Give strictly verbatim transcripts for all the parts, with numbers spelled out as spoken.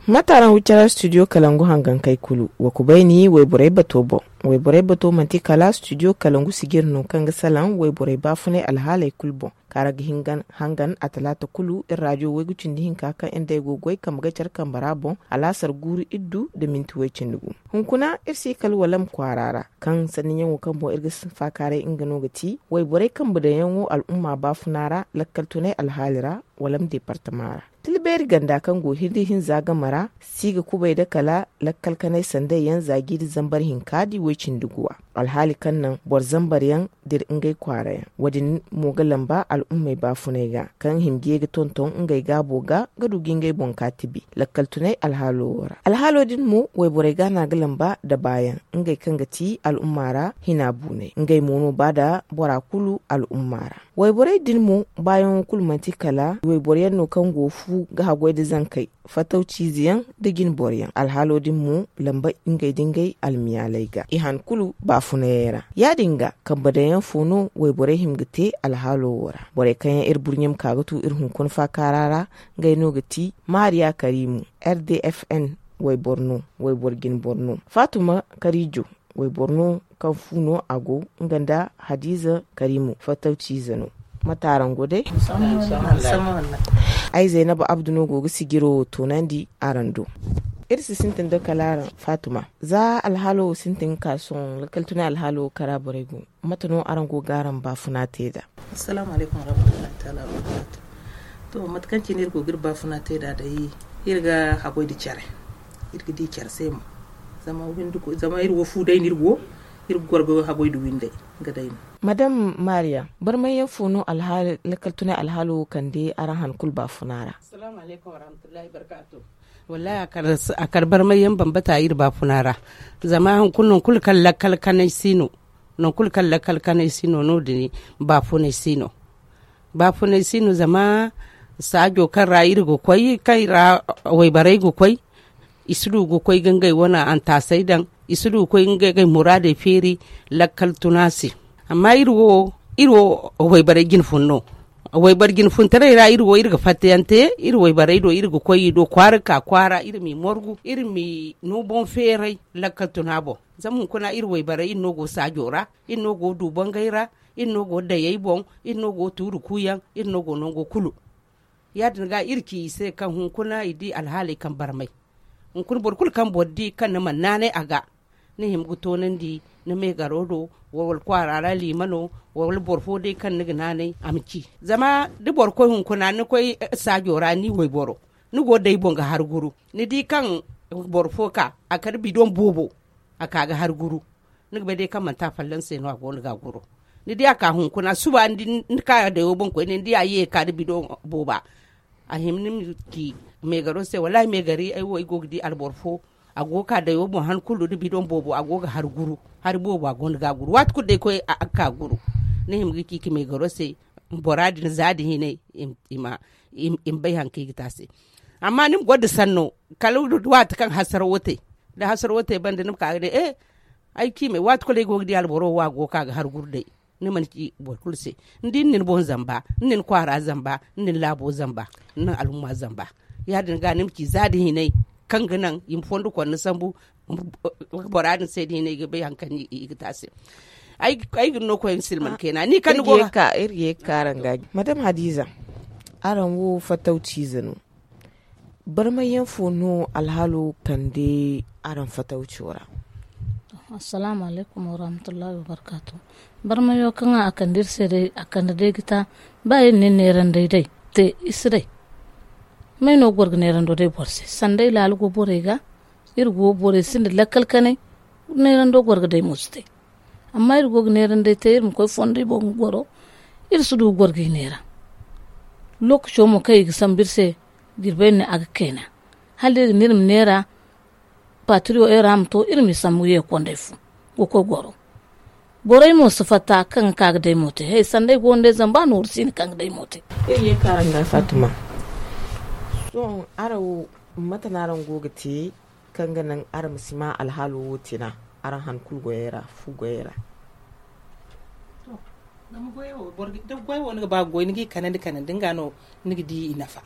Mate araŋ wi care studio kalangu hangankey kulu? Wa kubayni wayborey bato boŋ. Wayborey bato manti kala studio kalangu sijiri no kaŋ ga salaŋ wayborey baafunay alhaaley kulu boŋ, kaŋ ra ga hangan a talaata kulu iri raajo waygu cindi hinka kaŋ iri day go ga goy kambe ga care kambe ra boŋ, alaasar guuru iddu nda minti way cindi gu. Hunkuna iri si kala walam kwaara ra, kaŋ sanniyaŋo kaŋ boŋ iri ga faakaaray nga no ga ti wayborey kambe daŋyaŋo al'umma baafuna ra, lakkal tunay alhaali ra, walam deepartama ra. Tila beeri ganda kaŋ go hirri hinza game ra si ga kubay nda kala lakkal kanay sanday yaŋ za jiiri zambar hinka di way cindi guwa, alhaali kaŋ naŋ boro zambar yaŋ dira ngey kwaara yaŋ. Wo- din mo ga lamba al'ummey baafunay ga kaŋ hima ga ye ga tonton ngey gaabo ga ga du ga ngey boŋ ka tibi lakkal tunay alhaalo wo ra. Alhaalo din mo wayborey ga no a ga lamba nda baayaŋ, ngey kaŋ ga ti al'umma ra hina buunay, ngey mo no ba nda bora kulu al'umma ra. Wayborey din mo baayaŋo kulu manti kala wayboro yaŋ no kaŋ go fu ga haggoy nda zankey, fatawciize yaŋ nda jinboro yaŋ. Alhaalo din mo lamba ngey nda ngey almiyaaley ga i han kulu baafunayey ra. Ya- din ga kambe daŋyaŋ fo no wayborey hima ga te alhaalo wo ra? Borey kaŋ yaŋ iri burɲe ma ka ga tu iri hunkuna faakaara ra, ngey no ga ti maariya kariimu, r d f n wayboro no, wayboro jinboro no. Faatuma kariijo, wayboro no kaŋ fu no a go nga nda hadiiza kariimu, fattawciize no. Mate araŋ go day? Ay zaynaba abdu no go ga sijiro wo toonandi araŋ do. Iri si sintin da kala araŋ faatuma, za alhaalo wo sintin ga ka sohõ lakkal tunay alhaalo wo kara borey go. Mate no araŋ go ga araŋ baafuna te nd'a? Assalaamu alaykum warahmatullahi taala wabarakaatu. To, mate kaŋ cine iri go ga iri baafuna te nd'a day, iri ga haggoy nda care. Iri ga di care se mo. Zama iri wo fu day no iri go, iri ga goro ga haggoy nda windey. Nga day no. Madam maariya, barmay yaŋ fo no alhaali lakkal tunay alhaalo wo kande araŋ han kulu baafuna ra? Assalaamu alaykum warahmatullahi wabarakaatu. Wallaahi a kar barmay yaŋ bambata iri baafuna ra. Zama hunkuna non kulu kaŋ lakkal kanay si no, non kulu kaŋ lakkal kanay si no no- din baafunay si no. Baafunay si no zama saajo kaŋ ra iri ga koy kaŋ ra wayborey ga koy, i si du ga koy ga ngey wane antaasey daŋ, i si du ga koy ga ngey muraadey feeri lakkal tuna se. Amma iri wo wayborey jinfun no. Wayboro jinfuntaray ra iri wo iri ga fattayaŋ te iri wayborey do, iri ga koy i do kwaara ga ka kwaara, iri m'i morgu, iri m'i no boŋ feeray lakkal tuna boŋ. Zama hunkuna iri wayborey iri no go saajo ra, iri no go du bangay ra, iri no go dayey boŋ, iri no go tuuru kuuyaŋ, iri no go nango kulu. Ya- din ga iri ci i se kaŋ hunkuna i di alhaaley kaŋ barmay. Hunkuna boro kulu kaŋ boro di kaŋ ni mana naanay a ga, ni hima ga toonandi ni meegaro do, wala kwaara ra liima no, wala boro fo day kaŋ ni ga naanay a ma ci. Zama da boro koy hunkuna ni koy saajo ra ni wayboro, ni go day boŋ ga har guru. Ni di kaŋ boro fo ka a kar bidoŋ boobo, a ka ga har guru. Ni ga bay day kaŋ manti a fallaŋ se no a go no ga a guru. Ni di a ka hunkuna suba ni di ni ka dayo boŋ koyne ni di a ye ga ka da bidoŋ booba. A hima ni ma ci meegaro se wallaahi meegari ay wo ay go ga di alboro fo, a go ga ka dayo boŋ han kulu da bidoŋ boobo a go ga hari guru, hari boobo a go no ga a guru waati kulu day koy a ga ka guru. Ni hima ga ci ka meegaro se bora din za din hinay i ma bay hari kaŋ i ga te a se. Amma ni ma goro da sanno kala waati kaŋ hasaro wo te, da hasaro wo te banda ni ma ka ga ne e ay ciimay waati kulu ay go ga di alboro wo a go ga ka ga hari guru day. Ni mana ci boro kulu se, ni di ni na ni boŋ zamba, ni na ni kwaara zamba, ni na ni laabo zamba, ni na ni alhumma zamba. Ya- din ga ni ma ci za da hinay kaŋ ga naŋ i ma fondo konna sambu bora din se da hinay ga bay hari kaŋ i ga te a se. Ay ga ni no koy ni silman kayna ni kaŋ ni go ga ka araŋ ga madam hadiza, araŋ wo fattawciize no. Barmay yaŋ fo no alhaalo kande araŋ fattawco ra? Assalaamu alaykum warahmatullahi wabarakaatu. Barmayo kaŋ a kande iri se day a kande day ga ta, ba iri na iri neerandey day te i si day. May no ga goro ga neerando day boro se sanda ay laala go borey ga? Iri go borey sinda lakkal kanay. Neerando goro ga day mo si te. Amma iri go ga neerandey te iri ma koy fondo i boŋ ga goro. Iri si du ga goro ga i neera. Lookaco mo kaŋ i ga sambu iri se jirbey ne a ga kayna. Hala iri ga ne iri ma neera patiriyo era ma to iri m'i sambu ye kondey fo ga koy goro. Borey mo si fatta kaŋ ga ka ga day mo te he sanda ay go nda ay zamba nooru siina kaŋ ga day mo te. Iri ye kaara nga fatima. Sohõ araŋ wo mate no araŋ go ga te kaŋ ga naŋ araŋ ma si ma alhaalo wo tina araŋ han kulu goyey ra fu goyey ra? Zama goy wo ni ga ba ga goy ni ga i kanandi kanandi nga no ni ga di i nafa.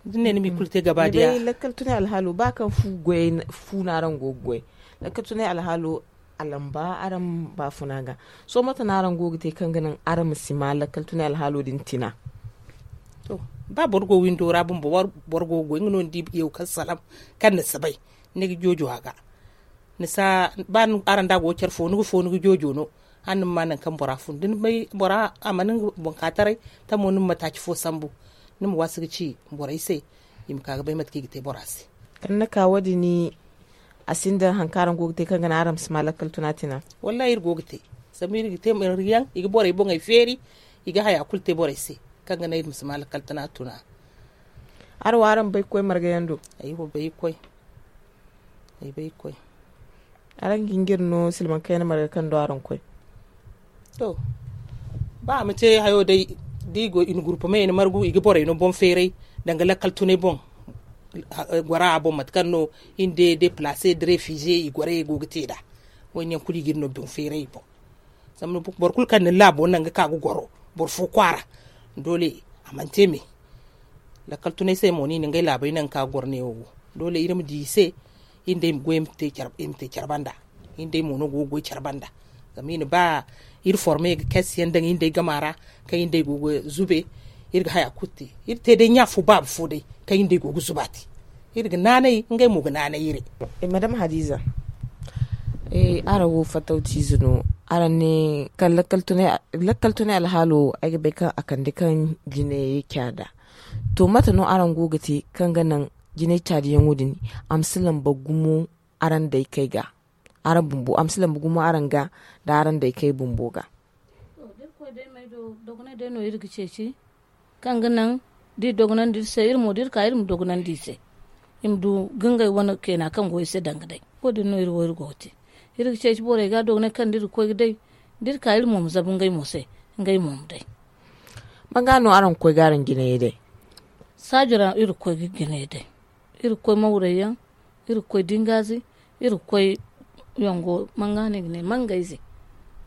da ni ne ni ma i kulu te gaba diya. Lakkal tunay alhaalo ba kaŋ fu no araŋ go ga goy. Lakkal tunay alhaalo a lamba araŋ baafuna ga. Sohõ mate no araŋ go ga te kaŋ ga naŋ araŋ ma si ma lakkal tunay alhaalo din tina? To, ba boro go windo ra bumbo, boro go ga goy nga no ni di yaw kaŋ salaŋ kaŋ ni si bay, ni ga joojo a ga. Ni si a ba araŋ da a go care fo ni ga fo ni ga joojo no. Hala ni ma ma nangu kaŋ bora fun da ni bay bora a mana nga boŋ ka taray, tamo ni ma mataaci fo sambu, ni ma waasi ga ci borey se, i ma ka ga bay mate kaŋ i ga te bora se. Kaŋ ni na ka wo- din, a sinda hari kaŋ araŋ go ga te kaŋ ga naŋ araŋ ma si ma lakkal tuna tina? Wallahi iri go ga te. Zama iri ga te marga yaŋ, i ga borey boŋey feeri, i ga haya kulu te borey se, kaŋ ga naŋ iri ma si ma lakkal tuna tuna. Araŋ wo araŋ bay ga koy marga yaŋ do? Ay wo bay ga koy. Ay bay ga koy. Araŋ ga hin ga iri no silmaŋ kayna marga kaŋ do araŋ koy? To, ba a ma te hayo day, da i go i na gurpa me i na margu i ga borey no boŋ feeray, danga lakkal tunay boŋ. Gora a boŋ mate kaŋ no iri nda deplace da refize i gorey go ga te nd'a. Wo- din yaŋ kulu i ga iri no boŋ feeray i boŋ. Zama boro kulu kaŋ na ni laabo naŋ ga ka ga goro boro fo kwaara, doole a mana te me. Lakkal tunay se mo no i na ngey laabey naŋ ga ka ga goro neewo wo. Doole iri ma di i se, iri nda i ma goy, iri ma te care banda. Iri nda i mo no go ga goy care banda. Zama i na ba iri forme ga kayse yaŋ daŋ iri nda i gama ra, kaŋ iri nda i go ga zube. Iri ga haya kulu te, iri te day ɲa fo baaba fo day, kaŋ iri nda i go ga zuba te. Iri ga naanay, ngey mo ga naanay iri. Madam hadiza, araŋ wo fattawtiize no. Araŋ ne kaŋ lakkal tunay alhaalo, ay ga bay kaŋ a kande kaŋ jinay caada. To mate no araŋ go ga te kaŋ ga naŋ jinay caadiyaŋo din a ma si lamba gumo araŋ daykey ga? Araŋ bumbo a ma si lamba gumo araŋ ga, nda araŋ daykey bumbo ga? Dogonay day no iri ga ceeci, kaŋ ga naŋ da i dogonandi iri se, iri mo da iri ka iri ma dogonandi i se. I ma du ga ngey wane keena kaŋ go i se danga day. Wo- din no iri wo iri go ga te. Iri ga ceeci borey ga dogonay kaŋ da iri ga koy ga day, da iri ka iri mo ma zabu ngey mo se, ngey mo ma day. Manga no araŋ ga koy ga araŋ jinayey day? Saajo ra iri ga koy ga jinayey day. Iri ga koy mawrey yaŋ, iri ga koy dingaazi, iri ga koy yongo manga no i ga ne mangayze.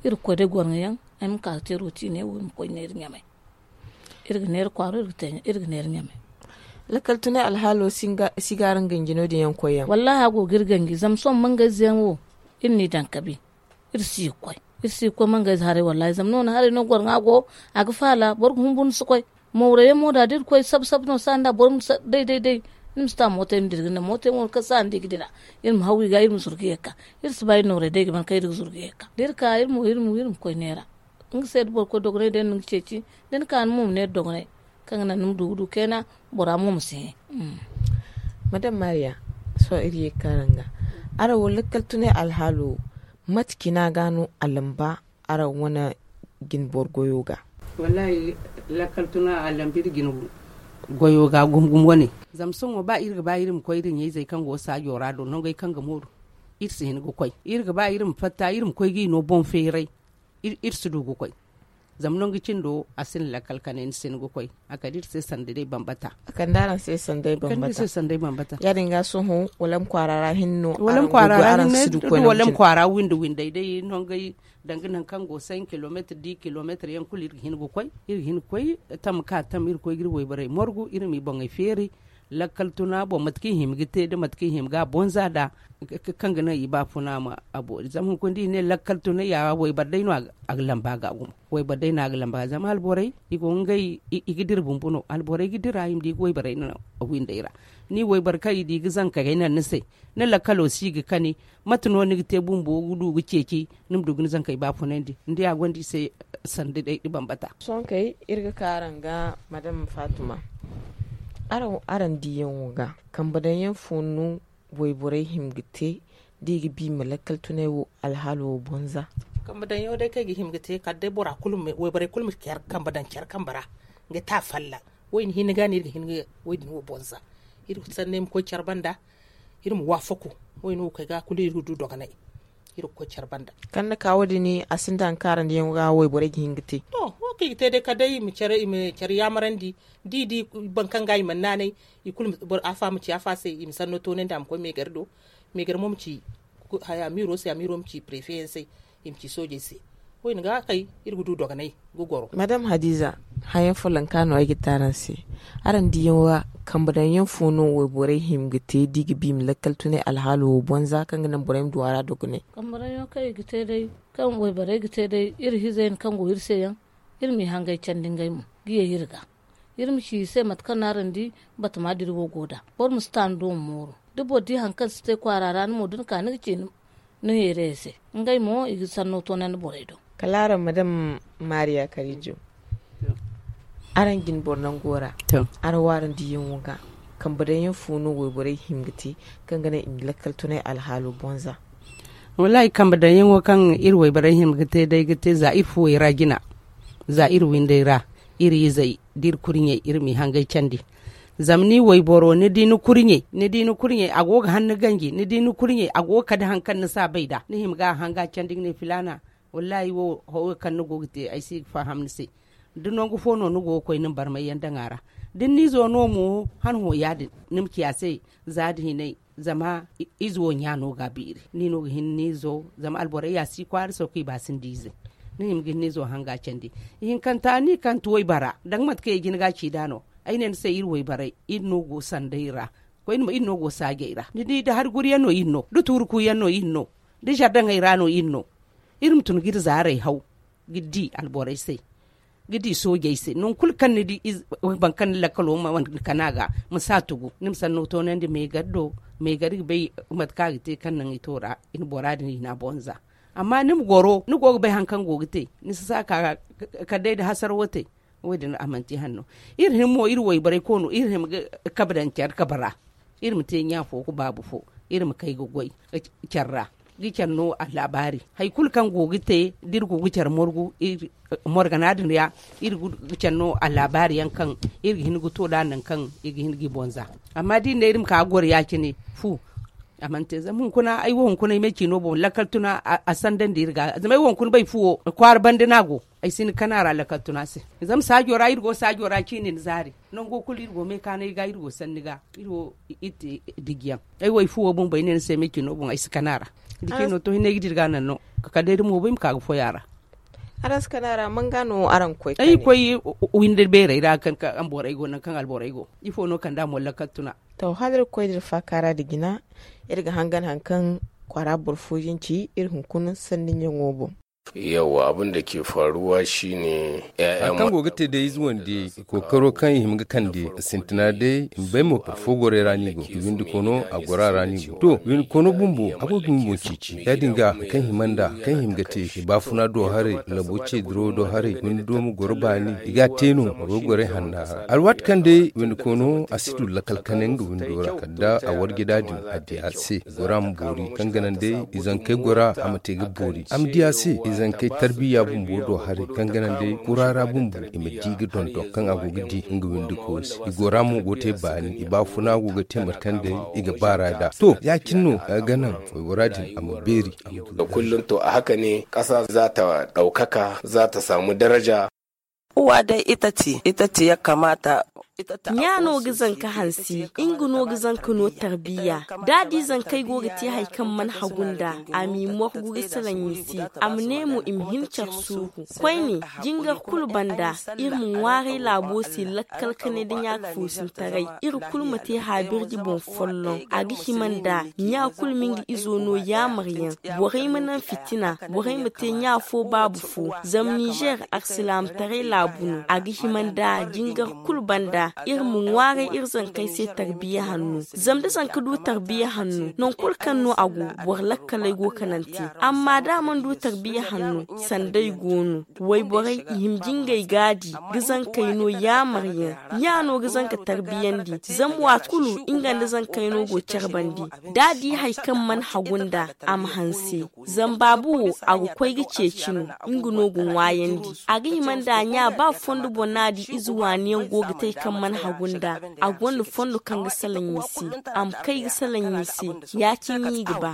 Iri ga koy day gorŋo yaŋ. Ay ma ka ga te rooti ne wo iri ma koy neera ɲamay. Iri ga neera kwaaro, iri ga neera ɲamay. Lakkal tunay alhaalo si ga araŋ ganji no- din yaŋ koy yaŋ? Wallaahi a go ga iri ganji zama sohõ mangayze yaŋ wo, iri n'i daŋ kabi. Iri si ga koy, iri si ga koy mangayze haray wallaahi zama noona haray no gorŋa go. A ga faala boro ga hunbur ni si koy. Mawra yaŋ mo da da iri koy sab sab no saani da boro ma day day day. Ni ma si ta mooto yaŋ ma dira ga naŋ mooto yaŋ wo kaŋ saani da i ga dira, iri ma haw i ga iri ma zuru ga ye ga ka. Iri si ba iri nooray day ga ban kaŋ iri ga zuru ga ye ga ka da iri ka iri mo iri ma koy neera. Nga se da boro koy dogonay day no ni ga ceeci, da ni ka ni mo ma neera dogonay, kaŋ ga naŋ ni ma du ga du kayna, bora mo ma si hẽ. Madam mariya, sohõ iri ye ga ka araŋ ga, araŋ wo lakkal tunay alhaalo, mate cina ga no a lamba araŋ wane jinboro goyo ga? Wallaahi, lakkal tuna a lamba iri jinboro goyo ga gumo gumo wane. Zama sohõ ba iri ga ba iri ma koy iri ɲayzey kaŋ go saajo ra do nongey kaŋ ga mooru, iri si hin ga koy. Iri ga ba iri ma fatta iri ma koy ga i no boŋ feeray. Iri si du ga koy. Zama nangu cindo a sinda lakkal kane ni si hin ga koy. A kande iri se sanda day bambata. A kande araŋ se sanda day bambata. Ya- din ga sohõ wala ma kwaara ra hinne no wala ma kwaara ra hinne wala ma kwaara windi windey day nongey, danga nangu kaŋ go cinq kilometre dix kilometre yaŋ kulu iri ga hin ga koy. Iri ga hin ga koy tam ka tam iri koy ga iri wayborey morgu iri m'i boŋey feeri. Lakkal tuna boŋ mate kaŋ i hima ga te da mate kaŋ i hima ga bonza nd'a, kaŋ ga naŋ i baafuna ma a boori zama hunkuna da i ne lakkal tuna ya wayboro day no a ga lamba ga gumo. Wayboro day no a ga lamba zama alborey i go ngey i ga dira bumbo no alborey ga dira i ma di ga wayborey naŋ a windey ra. Ni wayboro kaŋ i di ga zankey naŋ ni se, ni lakkalo si ga kani. Mate no ni ga te bumbo ga du ga ceeci ni ma du ga ni zankey baafunandi ni di a gonda i se sanda day da bambata. Sohõ kay iri ga ka araŋ ga madam faatuma, araŋ diyaŋo ga kambe daŋ yaŋ fo no wayborey hima ga te da i ga bi i ma lakkal tunay wo alhaalo wo bonza? Kambe daŋ yaŋo day kaŋ i ga hima ga te kala day bora kulu ma wayborey kulu ma care kambe daŋ care kambe ra, nga te a fallaŋ. Wo- din hinne ga no iri ga hin ga wo- din wo bonza. Iri ga sanda iri ma koy care banda, iri ma waafaku. Wo- din wo kay ga kulu iri ga du dogonay. Iri ga koy care banda. Kaŋ ni ka wo- din a sinda hari kaŋ araŋ diyaŋo ga wayborey ga hin ga te? To wo kaŋ i ga te day kala day i ma care yaamarandi. Da i di boro kaŋ ga i mana naanay, i kulu afa ma ci afa se i ma sanno toonandi a ma koy meegar do. Meegar mo ma ci haya amiiro se amiiro ma ci prefe yaŋ se, i ma ci soojey se. Koyne ga kay, iri ga du dogonay ga goro. Madame Hadiza, hayaŋ folloŋ ka no ay ga te araŋ se. Araŋ diyaŋ ra, kambe daŋ yaŋ fo no wayborey hima ga te da i ga ba i ma lakkal tunay alhaalo wo boŋ za kaŋ ga naŋ borey ma du a ra dogonay? Kambe daŋ yaŋ kaŋ i ga te day, kaŋ wayborey ga te day, iri hize yaŋ kaŋ go iri se yaŋ, iri m'i hangay candi ngey mo ga ye iri ga. Iri ma ci i se mate kaŋ no araŋ di batama dira wo go nd'a. Boro ma si ta ni do ma mooru. Da boro di hari kaŋ si te kwaara ra ni mo da ni ka ni ga ci ni heerayey se. Ngey mo i ga sanno toonandi borey do. Kala araŋ ma daŋ maariya karijo. Araŋ jine boro nango ra. Araŋ wo araŋ diyaŋo ga, kambe daŋ yaŋ fo no wayborey hima ga te kaŋ ga naŋ i ma lakkal tunay alhaalo boŋ za? Wallaahi, kambe daŋ yaŋo kaŋ iri wayborey hima ga te day ga te za iri fuwey ra jina, za iri windey ra, iri izey da iri kurɲey, iri m'i hangay candi. Zama ni wayboro, ni di ni kurɲey, ni di ni kurɲey a go ga hanno ganji, ni di ni kurɲey a go ga kade hari kaŋ ni si a bay nd'a, ni hima ga a hanga candi ga ne filaana. Wallaahi, wo hawo kaŋ ni go ga te ay si ga faham ni se. Da nangu fo no ni go ga koy ni ma barmay yaŋ daŋ a ra, da ni n'izo no mo, han hõ ya- din ni ma ci a se, za da hinay. Zama ize wo ɲya no ga a beeri, ni no ga hin ni izo. Zama alborey ya si kwaara saw kaŋ i ba sinda ize. Ni hima ga hin ni izo hanga candi. Ihinkanta ni kaŋ ti waybara daŋ mate kaŋ i jin ga a ci nd'a no. Ay ne ni se, iri waybarey, iri no go sanday ra. Koyne mo iri no go saajey ra. Ni di, da hari guri yaŋ no iri no, da tuuri ku yaŋ no iri no, da zardaŋey ra no iri no. Iri ma tun ga iri zaarey haw ga di alborey se, ga di soojey se. Nangu kulu kaŋ ni di, boro kaŋ ni lakkalo mana kana ga, ma si a tugu. Ni ma sanno toonandi meegar do. Meegar ga bay mate kaŋ a ga te kaŋ naŋ i to ra, i na bora din i na a boŋ za. Amma ni ma goro, ni go ga bay hari kaŋ go ga te, ni si sa ka kala day nda hasarawo te. Wo- din a mana te hanno. Iri hima mo, iri wayborey koono, iri hima ga kabe daŋ care kabe ra. Iri ma te ɲa fo ga baabu fo. Iri ma kay ga goy care ra, ga care no allaabaari. Hari kulu kaŋ go ga te, da iri go ga care morgu, morgana din ra, iri ga care no allaabaari yaŋ kaŋ iri ga hin ga to nd'a, nangu kaŋ i ga hin g'i boŋ za. Amma da iri ne iri ma ka ga goro ya- cine, fu, a mana te. Zama hunkuna ay wo, hunkuna ay me ciino boŋ lakkal tuna a sandandi iri ga. Zama ay wo hunkuna bay fuwo kwaara banda no a go. Ay si hin ga kana ra lakkal tuna se. Zama saajo ra iri go, saajo ra ciine ni zaari. Nango kulu iri go meekaanay ga, iri go sanni ga, iri wo iri te dijiyaŋ. Ay wo ay fuwo bumbo ay ne ni se me ciino boŋ ay si kana ra. Da ciino to hinne ay ga di iri ga naŋ no. Kala day da moobo ay ma ka ga foy a ra. Araŋ si kana ra, man ga no araŋ ga koy? Ay ga koy windi beerey ra kaŋ alborey go, nangu kaŋ alborey go. Ifo no kand'a mo lakkal tuna? To, hala iri ga koy da iri faaka ra nda jina. Iri ga hangan hari kaŋ kwaara boro fooyaŋ ci iri hunkuna sanni ɲaŋo boŋ. Yawwa, abin da ke faruwa shi ne. Hari kaŋ go ga te day, ize wande kookaro kaŋ i hima ga kande, sintina day i ma bay mo boro fo gorey ra no i go. Windi koono, a goro a ra no i go. To, windi koono bumbo, a go ga nga boŋ ceeci. Ya- din ga hari kaŋ hima nd'a, hari kaŋ hima ga te, i baafuna do haray, labo ce dirawo do haray, windi do ma goro baani, i ga a te no, a go ga gorey hanna ra. Alwaati kaŋ day windi koono a si du lakkal kane nga windo ra, kala da a warje nd'a din, a di a se. Gora ma boori, kaŋ ga naŋ day izankey gora a ma te ga boori. A ma di a se izankey tarbiya bumbo do haray, kaŋ ga naŋ day kura ra bumbo i ma di ga dondon kaŋ a go ga di nga windi koosi. I gora mo go te baani, i baafuna go ga te mate kaŋ day i ga baar'a nd'a. To, ya- cine no a ga naŋ waybora din a ma beeri, a ma du. Kullum to a haka ne ƙasa za ta ɗaukaka, za ta samu daraja. Uwa dai ita ce, ita ce ya kamata. Nya no ga zanka hansi, nga no ga zanka no tarbiya. Da di zankey go ga te hari kaŋ mana hagu nd'a, a m'i morgu ga salaŋ i se, a ma ne mo i ma hin care suuru. Koyne, jingar kulu banda, iri ma ŋwaaray laabo se lakkal kanay nda ɲa foosintaray. Iri kulu ma te haabirji boŋ folloŋ. A ga hima nda ɲa kulu ma nga izo no yaamaryaŋ. Borey ma naŋ fitina, borey ma te ɲa fo baabu fo. Zama Nizer, alsilaamataray laabu no. A ga hima nda jingar kulu banda, iri ma ŋwaaray iri zankey se tarbiya hanno. Zama da zanka du tarbiya hanno, nangu kulu kaŋ no a go, boro lakkaley go kanante. Amma da a mana du tarbiya hanno, sanday go no. Wayborey i hima ga ngey gaadi ga zankey no yaamaryaŋ. Ɲa no ga zanka tarbiyandi, zama waati kulu nga nda zankey no go care bande. Da a di hari kaŋ mana hagu nd'a, a ma hanse. Zama baabu wo, a ga koy ga ceeci no, nga no ga ŋwaayandi. A ga hima nda ɲa ba fondo boŋ no a di ize waani yaŋ go ga te kaŋ mana hagu nda a gonda fondo kaŋ ga salaŋ i se. A ma kay ga salaŋ i se. Ya-cine i ga ba.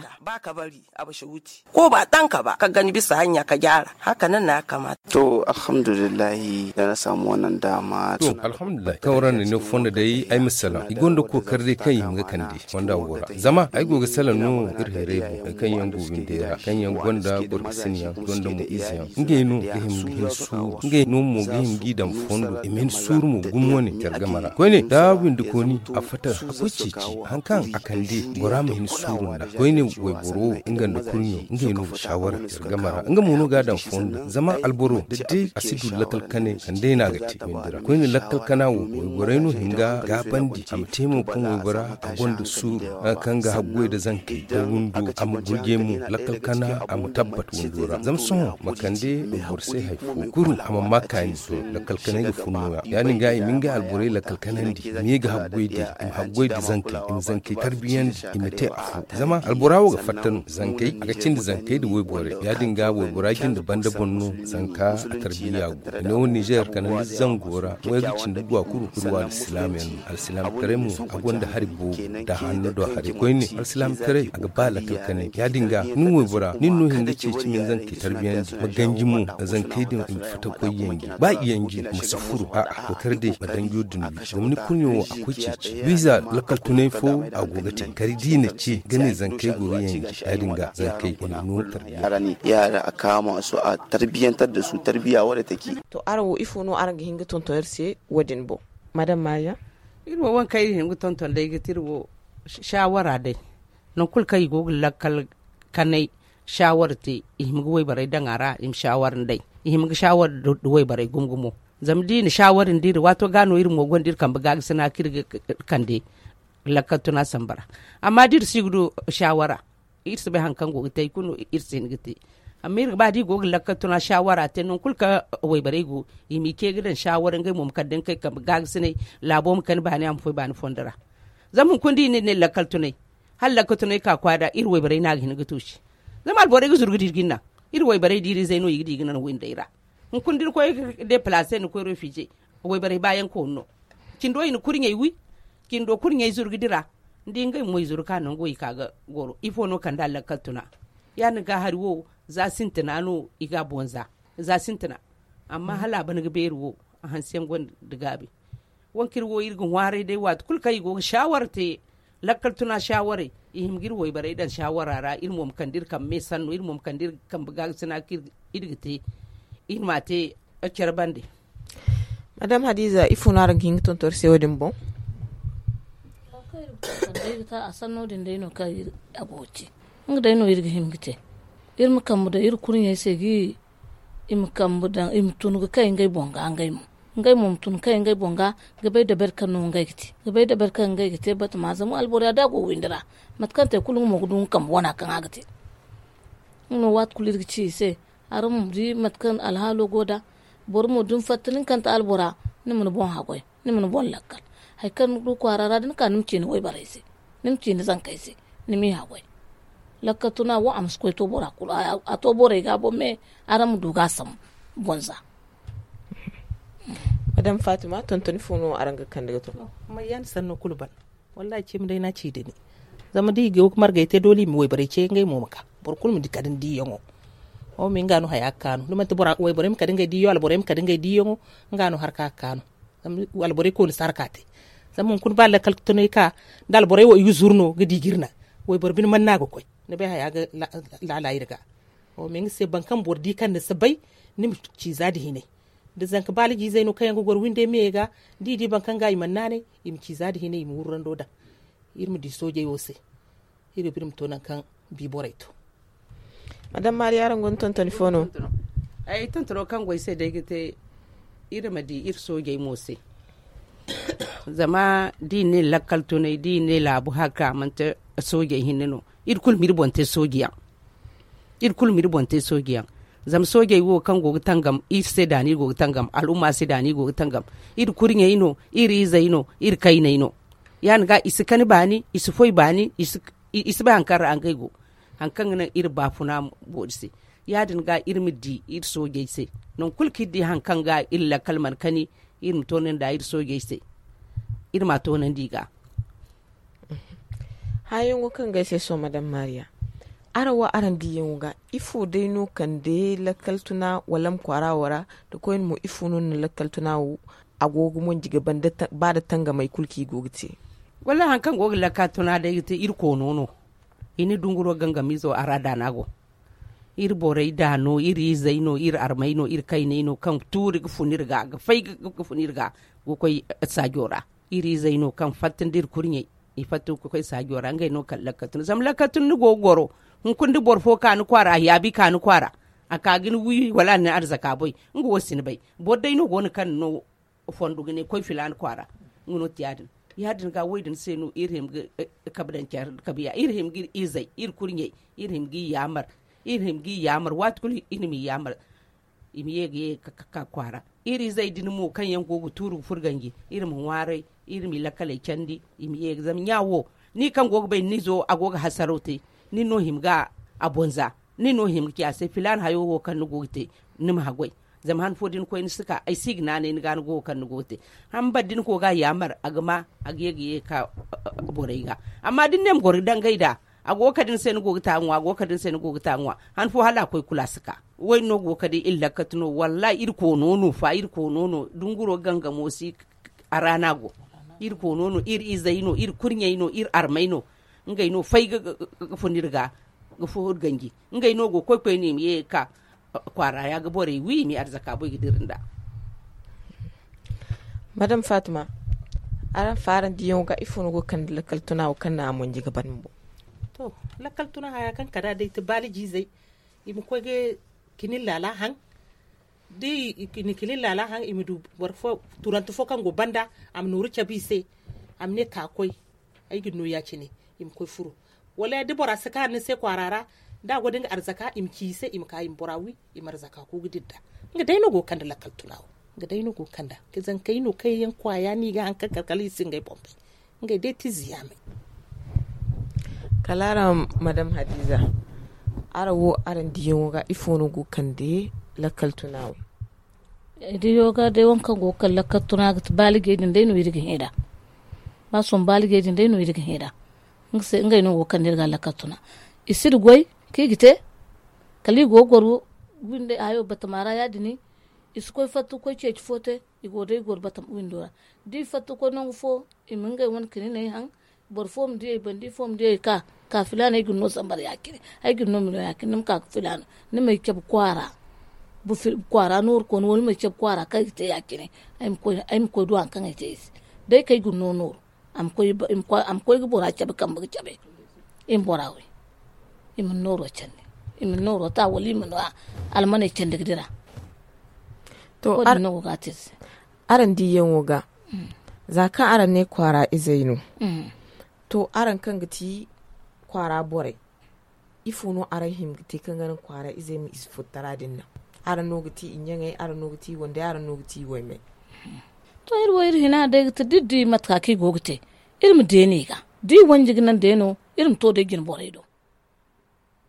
Ko ba tanka ba ka gani bisa hanya ka gyara. Haka nan na ya kamata. To, alhamdulillahi da na samu wannan dama. To, alhamdulillahi kaŋ ra na ne fondo day ay ma salaŋ i gonda kokari day kaŋ i hima ga kande fonda wo ra. Zama ay go ga salaŋ no iri hayray boŋ, kaŋ yaŋ go windey ra, kaŋ yaŋ gonda boro ga sina yaŋ, gonda mo ize yaŋ, ngey no ga hima ga hin suuru. Ngey no mo ga hima g'i daŋ fondo i ma hin suuru mo gumo wane care game ra koyne da windi kooni a fatta a koy ceeci. Haŋ kaŋ a kande bora ma hin suuru nda koyne wayboro wo nga nda kurɲo ngey no ga shawara care game ra nga mo no ga a daŋ fondo zama alboro da day a si du lakkal kanay kandey no a ga te windi ra koyne lakkal kana wo wayborey no hin ga gaabandi a ma te mo kaŋ waybora a gonda suuru. Kaŋ ga haggoy nda zankey da windo a ma gurjey mo lakkal kana a ma tabbat windo ra zama sohõ ma kande boro se hari fo kulu a ma ma kaani. Lakkal kanay ga fun nooya ya-din ga i ma ngey alborey lakkal kanandi i ma ye ga haggoy day i ma haggoy nda zankey i ma zankey tarbiyandi i ma te afo. Zama albora wo ga fatta no zankey a ga cindi zankey nda wayborey ya-din ga waybora jinde banda boŋ no. Zanka a tarbiya go i ne wo nizer kanandi zango ra mo ay ga cindi gwa kuru kuru wo alsilaam yaŋ no alsilaamataray mo a gonda hari boobo nda hanno do haray koyne alsilaamataray a ga ba lakkal kanay ya-din ga nin waybora nin no hin ga ceeci ma ni zankey tarbiyandi ma ganji mo zankey din i ma fatta koy yanji ba i yanji ma si furu a'a koy kar day ma danjo din wi zama ni kurɲo wo a koy ceeci wiiza lakkal tunay fo a go ga te kari da i na ce ga ne zankey go ga yanji ya-din ga zankey i na no tarbiya. Yaara a kaama su a tarbiyantar da su tarbiya wadda take. To araŋ wo ifo no araŋ ga hin ga tonton iri se wo-din boŋ? Madam mariya. Iri wo waŋ kaŋ iri hin ga tonton day ga ti iri wo shawara day nangu kulu kaŋ i go ga lakkal kanay shawara te i hima ga wayborey daŋ a ra i ma shawara nd'ey i hima ga shawara nda wayborey gumo gumo. Zama da i na shawara nda iri waato ga no iri mo gonda iri kambe gaagasi no a kaŋ iri ga kande lakkal tuna samba ra. Amma da iri si ga du shawara iri si bay hari kaŋ go ga te hari kulu no iri si hin ga te. Amma iri ga ba da i go ga lakkal tuna shawara te nangu kulu kaŋ wayborey go i m'i ce ga daŋ shawara ngey mo ma kande ngey kambe gaagasiney laabo ma kani baani a ma foy baani fondo ra. Zama hunkuna da i ne iri ne lakkal tunay hala lakkal tunay ka kwaara iri wayborey no a ga hin ga tuusi. Zama alborey ga zuru ga di iri ga ni naŋ iri wayborey da iri izey no i ga di ga naŋ windey ra. Hunkuna da ni koy ga depalase ni koy refize wayborey baayaŋ koonu no. Cindo i na kurɲey wi cindo kurɲey zuru ga dira. Ni di ngey mo i zuru ka nango i ka ga goro ifo no kande a lakkal tuna. Ya-din ga hari wo za sintina no i ga a boŋ za za sintina. Amma hala a ban ga beeri wo a hanse yaŋ gonda gaabi. Waŋ kaŋ iri wo iri ga ŋwaaray day waati kulu kaŋ i go ga shawara te lakkal tuna shawaray i hima ga iri wayborey daŋ shawara ra iri mo ma kande iri kambe me sanno iri mo ma kande iri kambe gaagasi no a kaŋ iri ga te iri m'a te care bande. Madam hadiza ifo no araŋ ga hin ga tonton iri se wo- din boŋ? A sanno din day no kaŋ a go ga te nga day no iri ga hin ga te. Iri ma kambe daŋ iri kurɲey se ga i ma kambe daŋ i ma tun ga kay ngey boŋ ga ngey mo ngey mo ma tun ga kay ngey boŋ ga ga bay dabari kaŋ no ngey ga te ga bay dabari kaŋ ngey ga te batama zama alboro ya da a go windi ra mate kaŋ te kulu nga mo ga du nga kambe wana kaŋ a ga te. Nga no waati kulu iri ga ci i se araŋ ma di mate kaŋ alhaalo go nd'a. Boro mo da ni fatta nin kaŋ ti albora ni ma ni boŋ haggoy ni ma ni boŋ lakkal. Hari kaŋ ni du kwaara ra da ni ka ni ma ci ni wayborey se ni ma ci ni zankey se ni m'i haggoy. Lakkal tuna wo a ma si koy to bora kulu a to borey ga boŋ me araŋ ma du ga a sambu boŋ za. Madam fatima tontoni fo no araŋ ga kande ga to? Mayyaani sanno kulu ban. Wallahi cimi day no a ci da ni. Zama da i go ga margey te doole i ma wayborey ce ngey mo ma ka boro kulu ma kade ni diiyaŋo. Wo me nga no haya ga kaanu da manti wayborey ma kade ngey diiyaŋo alborey ma kade ngey diiyaŋo. Nga no harka ga kaanu. Zama alborey kooni si harka te. Zama hunkuna ba lakkal tunay ka da alborey wo i ga zuru no ga di ga iri naŋ. Wayboro bine mana no a ga koy ni bay haya ga laala iri ga. Wo me nga se boro kaŋ boro di kaŋ ni si bay ni ma ci za nda hinay. Da zanka baalaji izey no kaŋ yaŋ ga goro windey me ga da i di boro kaŋ ga i mana naanay i ma ci za nda hinay i ma wurrando daŋ. Iri ma di soojey wo se iri ga ba iri ma to nangu kaŋ bi borey to. Madam maari araŋ gonda tontoni fo no? Ay tontono kaŋ go ay se day ga te iri ma di iri soojey mo se. Zama da i ne lakkal tunay da i ne laabu harka manti soojey hinne no. Iri kulu ma iri boŋ te sooji yaŋ. Iri kulu ma iri boŋ te sooji yaŋ. Zama soojey wo kaŋ go ga tangam iri se da no iri go ga tangam al'umma se da no iri go ga tangam. Iri kurɲey no, iri izey no, iri kayney no. Ya- din ga i si kani baani, i si foy baani, i si bay hari kaŋ ra ngey go. Hari kaŋ ga naŋ iri baafuna boori se. Ya- din ga iri ma di iri soojey se. Nangu kulu kaŋ iri di hari kaŋ ga iri lakkal mana kani, iri ma to no nda iri soojey se. iri ma a toonandi i ga. Haayaŋo kaŋ ga ay se sohõ madame mariya, araŋ wo araŋ diiyaŋo ga ifo day no kande lakkal tuna wala ma kwaara wo ra? Da koyne mo ifo no na lakkal tuna wo a go ga monji ga ba nda tangamey kulu kaŋ i go ga te? Wallaahi hari kaŋ go ga lakkal tuna day ga te iri koono no. I na dunguro gangamiizo a ra daana go. Iri borey da no iri izey no iri armey no iri kayney no kaŋ tuuri ga fun iri ga ga fay ga fun iri ga ga koy saajo ra. Iri izey no kaŋ fatta nda iri kurɲey i fatta ga koy saajo ra ngey no kala lakkal tuna zama lakkal tuna ni go ga goro. Hunkuna da boro fo ka ni kwaara a yaabi ka ni kwaara a ka ga ni wi wala a na ni arzaka boy. Nga wo si ni bay. Boro day no go no kaŋ ni no fondo ga ne koy filaana kwaara. Nga no ti ya- din ya- din ga wo- din se no iri hima ga kabe daŋ care kabe ya iri hima ga iri izey iri kurɲey iri hima ga i yaamar. Iri hima ga i yaamar waati kulu iri ma i yaamar. I ma ye ga ye ga ka kwaara. Iri izey din mo kaŋ yaŋ go ga tuuru ga furo ganji iri ma ŋwaaray. Iri ma i lakkaley candi i ma ye ga zama ɲa wo ni kaŋ go ga bay ni izo a go ga hasaraw te. Ni no hima ga a bonza ni no hima ga ci a se filaana hayo wo kaŋ ni go ga te. Ni ma haggoy. Zama han fo da ni koy ni si ka ay si ga naanay ni ga ni go ga kaŋ ni go ga te. Han banda ni koy ga a yaamar a ga ma a ga ye ga ye ga ka borey ga. Amma da ni ne ma goro ga dangay nd'a a go ga kande ni se ni go ga ta ga ŋwa a go ga kande ni se ni go ga ta ga ŋwa. Han fo hala a koy kulu a si ka. Wo- din no go ga kande iri lakkatu no wallaahi iri koono no fa iri koono no dunguro gangamo si. A ra no a go. Iri koono no iri izey no iri kurɲey no iri armey no. Ngey no fay ga fun iri ga ga fo iri ganji. Ngey no go ga koy koyne i ma ye ga ka kwaara ya ga borey wi i ma i arzaka boy ga dira nd'a. Madame fatima, araŋ fa araŋ diiyaŋo ga ifo no go ga kande lakkal tuna wo kaŋ na a monji ga ban bumbo? To, lakkal tuna haya kaŋ kala day ti baaliji izey i ma koy ga kinin laala haŋ. Da i na kinin laala haŋ i ma du boro fo turante fo kaŋ go banda a ma nooru cabe i se. A ma ne ka koy ay ga ni no ya- cine. I ma koy furo wala da bora si kaanu ni se kwaara ra. Da a go da nga arzaka i ma ci i se i ma ka i ma bora wi i ma arzaka ku ga dira nd'a. Nga day no go ga kande lakkal tuna wo. Nga day no go ga kande zankey no kaŋ yaŋ kwaaya no i ga haŋ kaŋ kala kala i si ngey boŋ bay. Ngey day ti ziyaamey. Kala araŋ madame hadiza, araŋ wo araŋ diiyaŋo ga ifo no go ga kande lakkal tuna wo? Diiyaŋo ga day waŋ kaŋ go ga kande lakkal tuna ga ti baaligey din day no iri ga hẽ nd'a. Ba sohõ baaligey din day no iri ga hẽ nd'a. Ngey no go ga kande iri ga lakkal tuna. I si nda goy kaŋ i ga te kala i go ga goro windey hayo batama ra ya- din. I si koy fatta ga koy ceeci fo te. I go day goro batama windo ra da i fatta ga koy nangu fo i ma ngey wane kininey haŋ. Boro fo ma diyey banda ifo ma diyey ka ka filaana ay ga ni no sambar ya- cine. Ay ga ni no mino ya- cine ni ma ka ga filaana ni ma ay cabe kwaara. Kwaara nooru koona wala ni ma ay cabe kwaara kaŋ ay ga te ya- cine. Ay ma koy du hari kaŋ ay te ay se. Day kaŋ ay ga ni no nooru a ma koy ga bora cabe kambe ga cabe. I ma bora wi i ma ni nooro candi. I ma ni nooro ta wala i ma ni almaney candi ga dira. To wo- din no go ga a te ay se. Araŋ diiyaŋo ga za kaŋ araŋ ne kwaara izey no. To araŋ kaŋ ga ti kwaara borey ifo no araŋ hima ga te kaŋ ga naŋ kwaara izey ma i si furtara din naŋ? Araŋ no ga ti i ɲaŋey araŋ no ga ti i wandey araŋ no ga ti i waymey. To iri wo iri hina day ga ti da iri di mate ka kaŋ i go ga te iri ma deeni i ga da i wanji ga naŋ day no. Iri ma to day jine borey do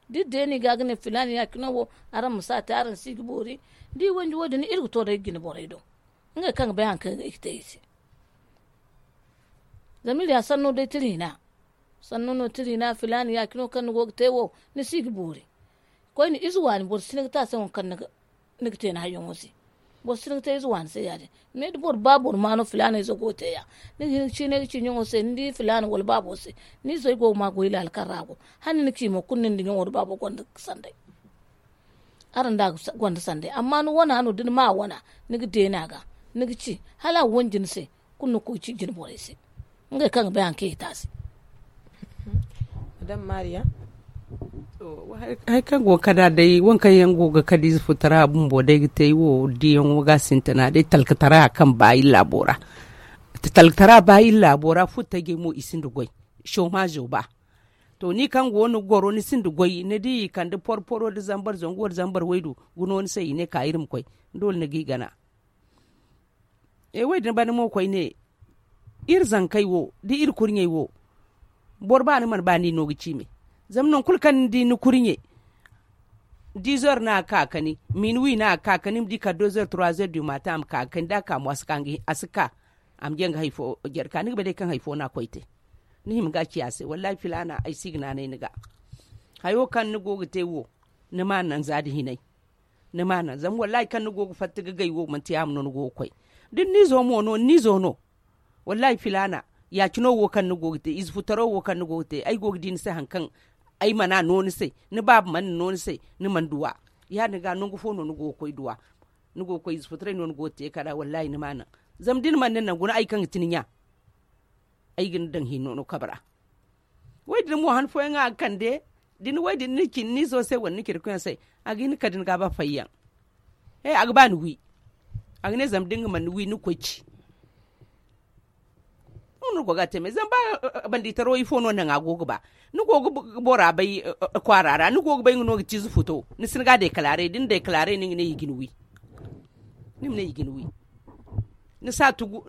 da iri deeni i ga ga ne filaana ya- cine wo araŋ ma si a te araŋ si ga boori. Da i wanji wo- din iri ga to day jine borey do ngey kaŋ ga bay hari kaŋ i ga te i se. Zama iri ya sanno day tira hina. Sanno no tira hina filaana ya- cine wo kaŋ ni go ga te wo ni si ga boori. Koyne ize waani boro si ni ga te a se waŋ kaŋ ni ga te ni hayyaŋo se. Boro si ni ga te ize waani se ya- din. Me da boro ba boro ma no filaana ize go ga te ya ni ga hin ga ci ne ga ci ɲaŋo se ni di filaana wala baabo se. Ni izey go ga ma goy laala kaŋ ra go hala ni na ci mo kulu nin da ɲaŋo da baabo gonda sanday. Araŋ da a ga gonda sanday amma ni wana no da ni ma a wana ni ga deeni a ga ni ga ci hala a wanji ni se. Kulu ni ga koy ci jine borey se ngey kaŋ ga bay hari kaŋ i ga te a se. Madame mariya. Hari kaŋ go ga kade a day waŋ kaŋ yaŋ go ga kade ize futara bumbo day ga te ay wo diyaŋo ga a sintina day talkatara kaŋ ba iri laabo ra. Talkatara ba iri laabo ra futtajey mo i sinda goy. Somazo ba to ni kaŋ go ni goro ni sinda goy ni di i kande porporo nda zambar zangu nda zambar waydu. Guno ni se i ne ka iri ma koy doole ni ga i gana. E wo- din banda mo koyne iri zankey wo da iri kurɲey wo. Boro ba ni mana ba ni no ga ci me zama nangu kulu kaŋ ni di ni kurɲe. Dix heures no a ga ka ga kani minuit no a ga ka ga kani ni ma di kala deux heures trois heures du matin a ma ka ga kani da a ka mo a si ka. A ma janga hari fo jarka ni ga bay day kaŋ hari fo no a koy te. Ni hima ga a ci a se wallahi filaana ay si ga naanay ni ga. Hayo kaŋ ni go ga te wo, ni ma a naŋ za nda hinay. Ni ma a naŋ zama wallahi kaŋ ni go ga fatta ga gay wo manti yaama no ni go ga koy. Da ni n'izo mo no ni n'izo no. Wallahi filaana, ya- cino wo kaŋ ni go ga te ize futaro wo kaŋ ni go ga te ay go ga di ni se hari kaŋ ay mana no ni se. Ni baaba mana no ni se, ni mana duw'a. Ya- din ga nangu fo no ni go ga koy duw'a. Ni go ga koy ize futaray no ni go ga te kala wallahi ni ma a naŋ. Zama da ni mana ni naŋ guna ay kaŋ ga ti ni ɲa. Ay ga ni daŋ hinno no kabe ra. Wo- din mo han fooyaŋ a ga kande. Da ni wo- din ni ci ni n'izo se wala ni ci ni koyyaŋ se, a ga hin ka da ni ga ba fayyaŋ. He a ga ba ni wi. A ga ne zama da nga mana ni wi ni ga koy ci. Nga no ni go ga a te me zama ba bandi taro ifo no naŋ a go ga ba. Ni go ga bora bay kwaara ra ni go ga bay nga no ga ci ize futo ni si ni ga dekalaaray da ni dekalaaray no nga ne i ga ni wi. Ni ma ne i ga ni wi. Ni si a tugu.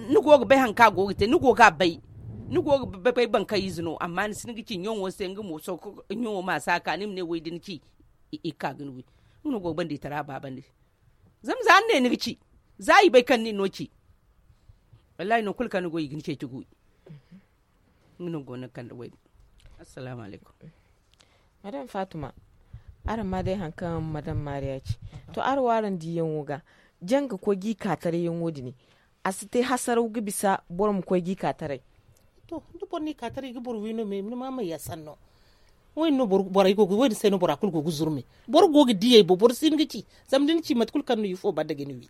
Ni go ga bay hari kaŋ a go ga te ni go ga a bay. Ni go ga bay boro kaŋ ize no amma ni si ni ga ci ɲaŋo se nga mo sohõ ɲaŋo ma si a ka ni ma ne wo- din ci. I ga ka ga ni wi. Nga no go ga bandi tara baabandi. Zama za ni ne ni ga ci, za i bay kaŋ nin no ci. Wallahi nangu kulu kaŋ ni go i ga ni ceeci ga wi. Nga no go no ga kande wo- din. Assalaamu alaykum. Madame faatuma, araŋ ma day hari kaŋ madame maariya ci. To araŋ wo araŋ diiyaŋo ga janga koy ga i ka taray yaŋo din. A si te hasaraw ga bisa boro ma koy ga i ka taray. To da boro no i ka taray ga boro wi no me ni ma may ya sanno. Wo- din se no bora kulu go ga zuru me. Boro go ga diyey bo boro si hin ga ci. Zama da ni ci mate kulu kaŋ no ifo banda ga ni wi.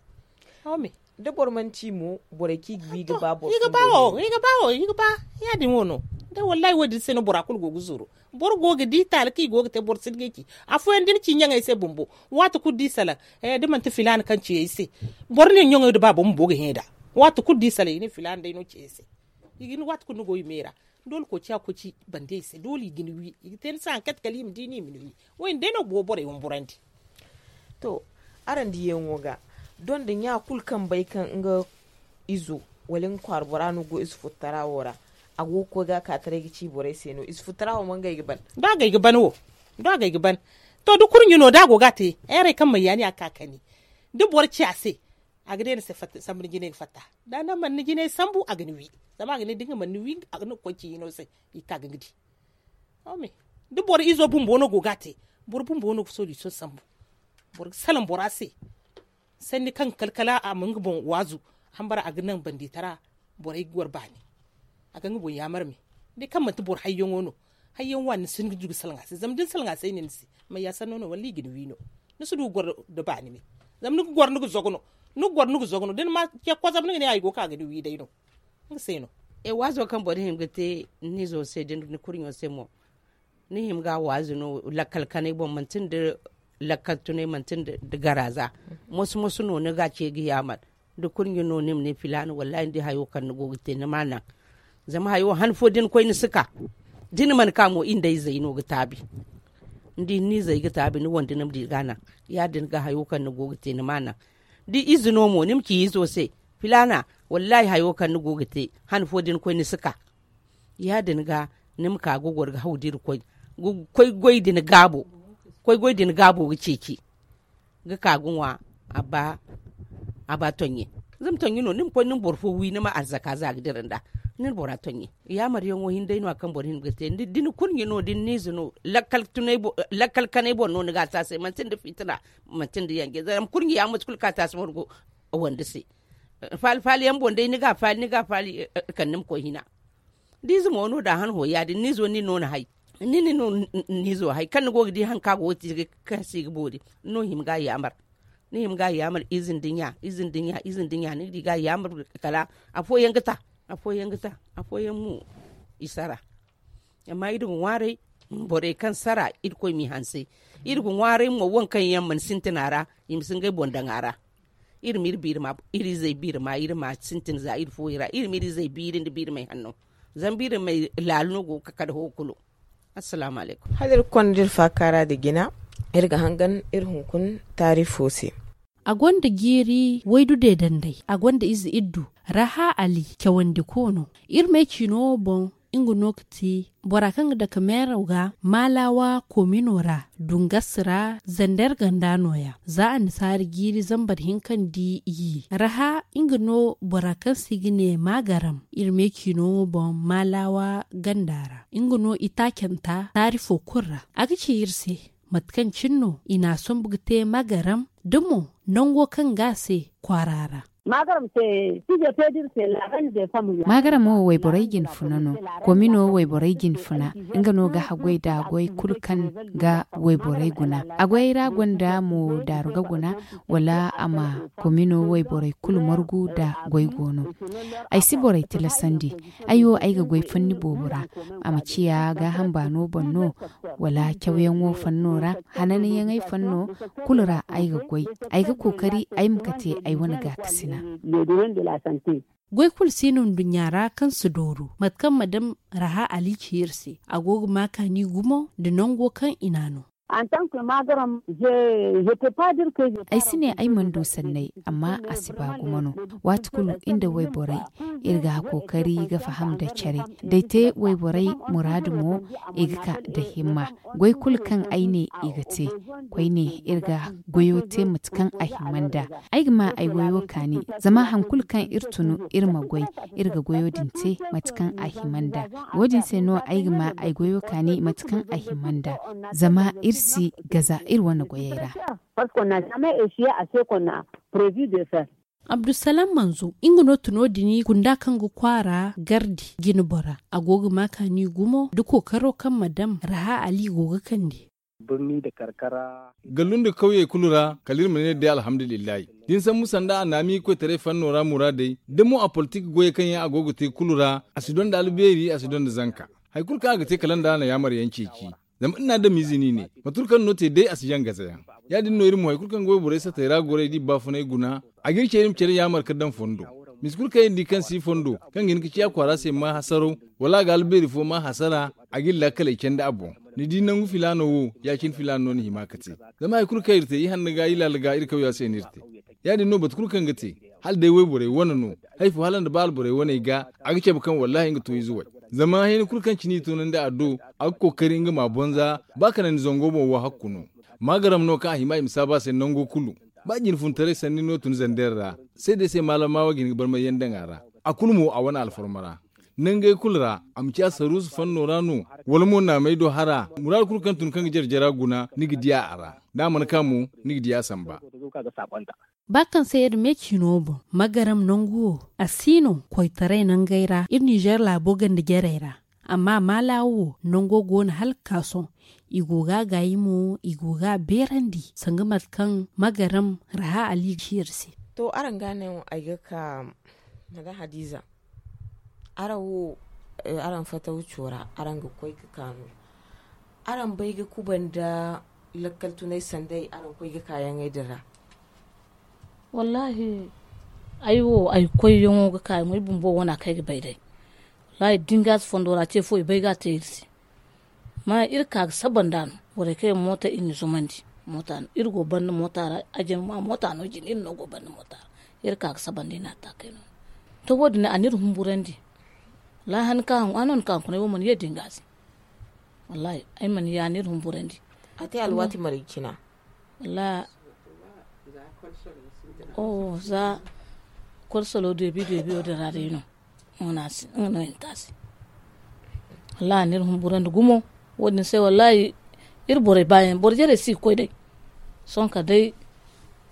Da boro mana ci mo borey kaŋ i ga ba boro i ga ba wo i ga ba wo i ga ba. Ya- din wo no. Da wallahi wo- din se no bora kulu go ga zuru. Boro go ga di taali kaŋ i go ga te boro si hin ga ci. Afooyaŋ da ni ci ɲaŋey se bumbo, waati kulu da i salaŋ da manti filaana kaŋ ci ay se. Boro ne ɲaŋey da baabo bumbo ga hẽ nd'a. Waati kulu da i salaŋ i ne filaana day no ci ay se. I ga ni waati kulu ni go i me ra. Doole koociya koci bande i se doole i ga ni wi i ga te ni se hari kaŋ ti kala i ma di no i ma ni wi. Wo- din day no go borey wamburandi. To, araŋ diyaŋo ga, doŋ da ɲa kulu kaŋ bay kaŋ nga izo wala nga kwaara bora no go ize futtara wo ra. A go ga koy ga a ka taray ga ci borey se no ize futtara wo mo ngey ga ban. Da agay ga ban wo. Da agay ga ban. To da kurɲe no da a go ga a te, heerey kaŋ mayyaani a ga ka kani. Da boro ci a se, a ga ne ni se fatta sambu ni jinay ga fatta. Da ni mana ni jinay sambu a ga ni wi. Zama a ga ne da nga mana ni wi a ga ni ga koy ci hino se. I ga ka ga nga di. Da boro izo bumbo no go ga a te, boro bumbo no ga solution sambu. Boro ga salaŋ bora se. Sanni kaŋ ga kala kala a ma nga boŋ waazu. Hambara a ga naŋ bandi tara. Borey ga gwar baani. A ga nga boŋ yaamar me. Day kaŋ manti boro hayyaŋo no. Hayyaŋ wa ni si hin ga du ga salaŋ a se zama da ni salaŋ a se ay ne ni se. May ya sanno no walla i ga ni wi no? Ni si du ga gwar nda baani me. Zama ni ga gwar ni ga zogo no. Ni ga gwar ni ga zogo no da ni ma ce kozam ni ga ne a i go ga ka ga ni wi day no. Nga se no. E waazo kaŋ boro hima ga te ni izo se da ni kurɲo se mo. Ni hima ga waazu no lakkal kanay boŋ manti nda lakkal tunay manti nda garaza. Moso moso no ni ga ce ga yaamar. Da kurɲe no ni ma ne filaana wallahi ni di hayo kaŋ ni go ga te ni ma a naŋ. Zama hayo han fo da ni koy ni si ka. Da ni mana ka mo i nda izey no ga taabi. Ni di ni n'izey ga taabi ni wande ni ma di ga a naŋ. Ya- din ga hayo kaŋ ni go ga te ni ma a naŋ. Da ize no mo ni ma ci izo se, filaana, wallahi hayo kaŋ ni go ga te han fo da ni koy ni si ka. Ya- din ga ni ma ka ga goro ga haw da irkoy ga koy goy din gaabo. Koy goy din gaabo ga ceeci ga ka ga ŋwa. A ba a ba tonɲe. Zama tonɲe no ni ma koy ni ma boro fo wi ni ma arzaka za ga dira nda ni na bora tonɲe. Yaamaryaŋo hinday no a kaŋ boro hin ga te da ni kurɲe no da ni n'ize no. Lakkal kanay boro no ni ga a taasay manti nda fitina. Manti nda yanje zama kurɲe ya mate kulu kaŋ a taasi boro go wande se. Faali faali yaŋ boŋ day ni ga a faali ni ga a faali kala ni ma koy hina. Da ize mo no da a han hõ ya- din ni izo nin no ni hay. Ni nin no ni izo hay kaŋ ni go ga di hari kaŋ a go ga te kaŋ si ga boori ni no hima ga a yaamar. Ni hima ga a yaamar ize nda ɲa ize nda ɲa ize nda ɲa ni ga di ga a yaamar. Kala afooyaŋ ga ta afooyaŋ ga ta afooyaŋ mo i sara. Amma iri ga ŋwaaray borey kaŋ sara irkoy m'i hanse. Iri ga ŋwaaray mo waŋ kaŋ yaŋ mana sintin a ra i ma si ngey boŋ daŋ a ra. Iri ma iri biiri ma iri izey biiri ma iri ma sintin za iri fooyaŋ ra iri ma iri izey biiri nda biiri may hanno. Zama biiri may laalu no go ga kade ho kulu. Assalaamu alaykum. Hala iri ga konda iri faakaara nda jina. Iri ga hangan iri hunkuna taarifo se. A gonda jiiri waydu deedandey a gonda ize iddu. Raha ali cawandiko no. Iri may ciino boŋ. nga no ga ti bora kaŋ ga dake meeraw ga maalawa koomino ra dungas ra zander ganda nooya. Za annasaari jiiri zambar hinka nda iyye raha nga no bora kaŋ se i ga ne maagaram iri me ciino boŋ maalawa ganda ra. Nga no itaacanta taari fo kulu ra a ga ci iri se mate kaŋ cine no i n'a sombu ga te maagaram da mo nango kaŋ ga a se kwaara ra. Maagaram wo wayborey jine funa no. Komino wayborey jine funa nga no ga haggoy da goy kulu kaŋ ga wayborey guna. A goyey ra gonda mo daaru ga guna wala a ma komino wayborey kulu margu da goy go no. Ay si borey tilasandi. Ay wo ay ga goy fanni boobo ra. A ma ciya gaaham baano boŋ no wala cawyaŋo fanno ra hananyaŋey fanno kulu ra ay ga goy. Ay ga kookari ay ma kate ay wane gaakasina. Goy kulu si no nduɲɲa ra kaŋ si dooru mate kaŋ madam raha ali ci iri se a go ga ma kaani gumo nda nango kaŋ i n'a no. Ay si ne ay mana du sanney amma a si ba gumo no. Waati kulu iri nda wayborey iri ga kookari ga faham nda care da ay te wayborey muraadu mo i ga ka nda himma. Goy kulu kaŋ ay ne i ga te koyne iri ga goyo te mate kaŋ a hima nd'a. Ay ga ma ay goyo kaani zama hari kulu kaŋ iri tunu iri ma goy iri ga goyo din te mate kaŋ a hima nd'a. Wo- din se no ay ga ma ay goyo kaani mate kaŋ a hima nd'a zama iri si gaza iri wane goyey ra. Abdulsalam manzo nga no tuno din kunda kaŋ ga kwaara gardi jine bora a go ga ma kaani gumo nda kookaro kaŋ madam raha ali go ga kande. Gallu nda kawyey kulu ra kala iri ma ne day alhamdulillahi da ni sambu sanda a naami koytaray fanno ra muraadey da mo a politik goyey kaŋ yaŋ a go ga te kulu ra a si donda albeeri a si donda zanka. Hari kulu kaŋ a ga te kala nda a na yaamar yaŋ ceeci. Zama iri na adamiize no i ne mate kulu kaŋ ni no te day a si jaŋ gaza yaŋ. Ya- din no iri mo hari kulu kaŋ ga wayborey satey ra goray da i baafunay guna a ga iri ce iri ma care yaamar ka daŋ fondo. Misa kulu kaŋ iri di kaŋ si fondo kaŋ ga hin ga ciya kwaara se ma hasaraw wala a ga albeeri fo ma hasara a ga iri laakaley candi a boŋ. Ni di nangu filaano wo ya- cine filaano no ni hima ka te. Zama hari kulu kaŋ iri te i hanna ga i laala ga iri kawya se no iri te. Ya- din no batu kulu kaŋ ga te hala day wayborey wane no. Hari fo hala nda ba alborey waney ga a ga cabe kaŋ wallaahi nga to ize way. Zama hina kulu kaŋ cine i toonandi a do a ga kookari nga ma boŋ za ba kanandi zango boŋ wo hakku no. Maagaram no kaŋ a hima i ma saabu a se nango kulu. Ba jinfuntaray sanni no tun zander ra se day se maalama wo ga hin ga barmay yaŋ daŋ a ra. A kulu mo a wane alfarma ra nangey kulu ra a ma ciya saruusu fanno ra no wala mo naamey do hara muraadu kulu kaŋ tun kaŋ ga jare jara guna ni ga diya a ra. Da a mana ka mo ni ga diya a samba. Ba kaŋ se iri me ciino boŋ magaram nangu wo a si no koytaray nangey ra iri ninzeer laabo ganda jarey ra. Amma maalaawo wo nango go no hala ga ka sohõ. I go ga a gaayi mo i go ga a beerandi sanga mate kaŋ magaram raha ali ga ci iri se. To araŋ ga no ay ga ka madam hadiza. Araŋ wo araŋ fataw co ra araŋ ga koy ga ka no. Araŋ bay ga kuba nda lakkal tunay sanday araŋ koy ga kaayaŋey din ra? Wallaahi ay wo ay koyyaŋo ga ka ay mo ay bumbo wana kaŋ ay ga bay day. Wallaahi da ni ga si fondo ra ce fo i bay ga a te iri se. Amma iri ka ga saba nd'a no borey kaŋ yaŋ moota iri na zumandi. Moota no iri go banda moota ra. Ajin ma moota no jine iri no go banda moota ra. Iri ka ga saba nda i na a taakay no. To wo- din a na iri humburandi. Wallaahi han ka han a no ni ka hankunay wo mana ye da ni ga a se. Wallaahi ay mana ye a na iri humburandi. A te alwaati marga cina? Wallaahi za kolsolo deebi deebi wo- din ra day no. Nga no hinta se. Wallaahi a na iri humburandi gumo. Wo- din se wallaahi iri borey baayaŋ boro jarey si ga koy day. Sohõ kala day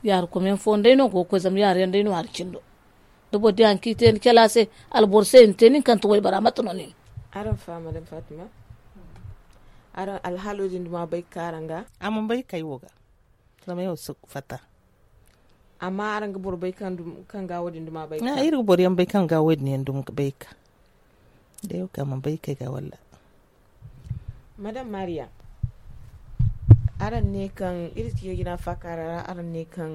yaari kome yaŋ fooyaŋ day no go ga koy zama yaari yaŋ day no hari cindo. Da boro di hari kaŋ i te ni cala se alboro se i na te nin kaŋ ti waybara mate no nin? Araŋ faama daŋ fatima. Araŋ alhaalo din duma bay ga ka araŋ ga? A mana bay ga ka ay wo ga. Zama ay wo si fatta. Amma araŋ ga boro bay kaŋ ga wo- din duma bay ga ka? Iri ga boro yaŋ bay kaŋ ga wo- din yaŋ duma bay ga ka. Day wo kaŋ a mana bay ga ka ay ga walla. Madam mariya, araŋ ne kaŋ iri ga jina faakaara ra araŋ ne kaŋ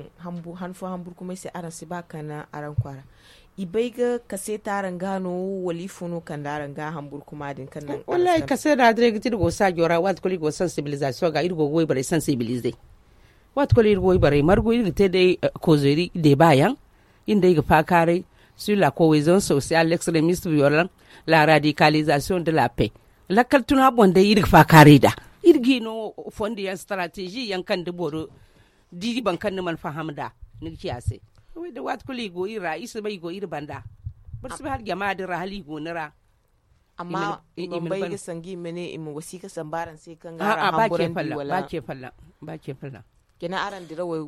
han fo hamburkumay se araŋ si ba kande araŋ kwaara. I bay ga kaseeta araŋ ga no? Wala ifo no kande araŋ ga hamburkuma din kaŋ naŋ? Wallaahi kaseeta din ay ga ti iri go saajo ra waati kulu iri go sansibilizasiyoŋ ga iri go ga wayborey sansibilize. Waati kulu iri go wayborey margu iri ga te day koozeri deeba yaŋ. Iri nda ay ga faakaaray. sur la cohésion sociale, l'extrémisme violent, la radicalisation de la paix. Lakkal tuna boŋ day iri ga faakaaray nd'a. Iri ga i no fondo yaŋ, stratégie yaŋ kaŋ da boro di boro kaŋ ni mana faham nd'a, ni ga ci a se. Waati kulu i go iri ra, i si bay i go iri banda. Boro si bay hala jama din ra hala i go ni ra. Amma i ma bay ga sanga i ma ne i ma wasiika sambu araŋ se kaŋ ga araŋ hamburandi wala? Ba ce folloŋ. Kina araŋ dirawey,